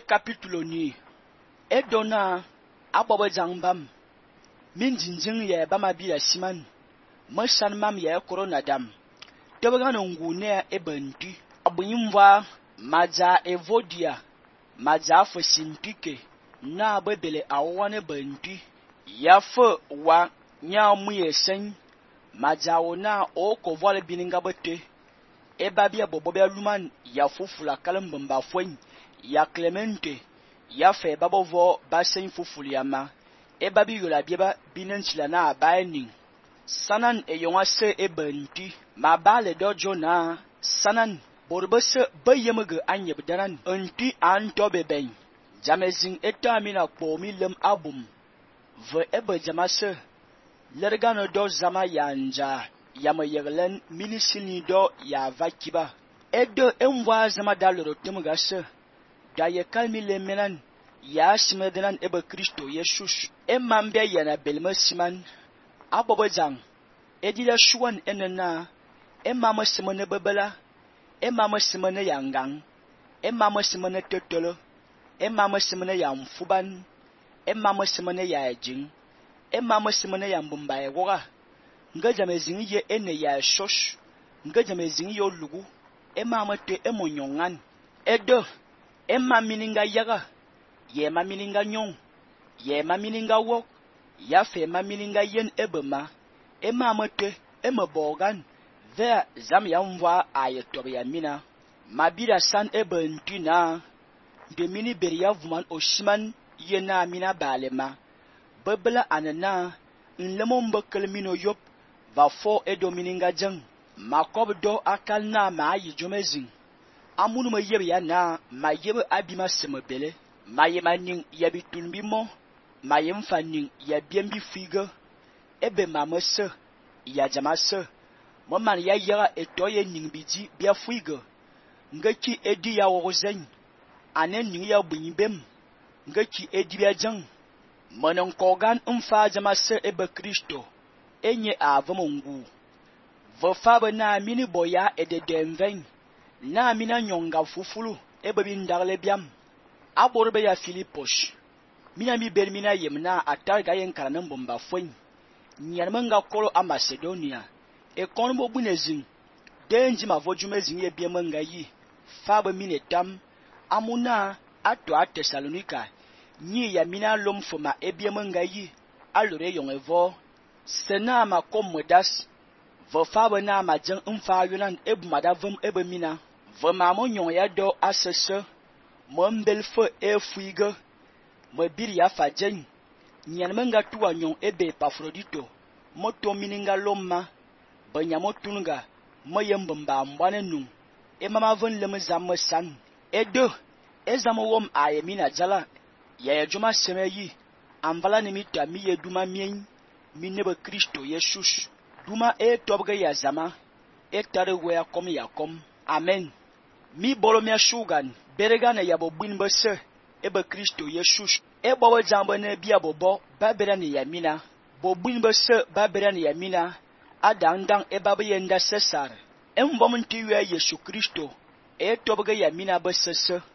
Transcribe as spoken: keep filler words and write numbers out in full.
Capítulo ni edona abobo jangbam min jinjing ye bama biya siman masan mam ye corona dam tebgan ngune e banti abunyimwa maja evodia maja fosimpike na bebele awane banti ya fo wa nya muye sen maja ona o ko vole bininga bote e babia bobobia luman ya fufula kalambamba fwen ya Clemente ya fe babovo basen fufuliama e babi yola bieba binenchila na abaini sanan e yonga se e banti ma bale dojo na sanan borbese bayemege anyebdanan anti anto beben jamezin etamina kpomi lem abum ve ebe jamase lergano do zama yanja yama yeglen minisini do ya vakiba edo enwa zama daloro temgase da ye kalmi le menan ya simedenan ebe Kristo Jesus emambe yana belma siman abobo jang edida shuwan enena emama simene bebela emama simene yangang emama simene totolo emama simene yamfuban emama simene ya jing emama simene yambumba ewoga nga jamezin ye ene ya shosh nga jamezin yo lugu emama te emonyongan edo emma mininga yaga ye ma mininga nyong ye ma mininga wok ya fe ma mininga yen ebema emama te emabogan ve zam yamwa ayetob ya mina mabira san ebentina de mini beria vuman oshiman yena mina balema bebla anana nlemon bekel mino yop va fo edo mininga jeng makob do akal na ma yi jomezin amunu ma yebe ya na ma yebe abima semebele ma yema ning yabi tulbi mo ma yem faning ya biembi figa ebe mamase ya jamase mo man ya yara etoye ning biji bia figa ngaki edi ya wozen anen ning ya bunyibem ngaki edi bia jang monon kogan umfa jamase ebe Kristo enye avamongu vo faba na mini boya ededemven na mina nyonga fufulu ebe bindarle biam aborbe ya Filipos mina mi ber mina yemna atarga yen karanan bomba fwen nyarmanga kolo a Macedonia e konbo bunezin denji mavojumezin ye biemanga yi faba minetam amuna ato a Thessalonica nyi ya mina lomfoma e biemanga yi alore yongevo sena ma komodas vo faba na ma jeng umfa yunan ebumada vum ebe mina vo ma mo nyon ya do asese mo mbel fo e fuiga mo biri ya fajen nyanmenga tuwa nyon ebe Epafrodito mo to mininga lomma banya mo tunga mo yembamba mbane num e mama von lem zam san edo ezamo wom ayemina jala ya ya juma semeyi amvala ni mita mi ye duma mien mi nebe Kristo Jesus duma e tobga ya zama e tare we akom ya kom amen mi bolo mi shugan beregana ya bo binbe se ebe Kristo Jesus e bobo jambo ne bia bobo babera ni yamina bo binbe se babera ni yamina adandang e babe yenda sesar en bom ntiwe Yesu Kristo e tobga yamina be sese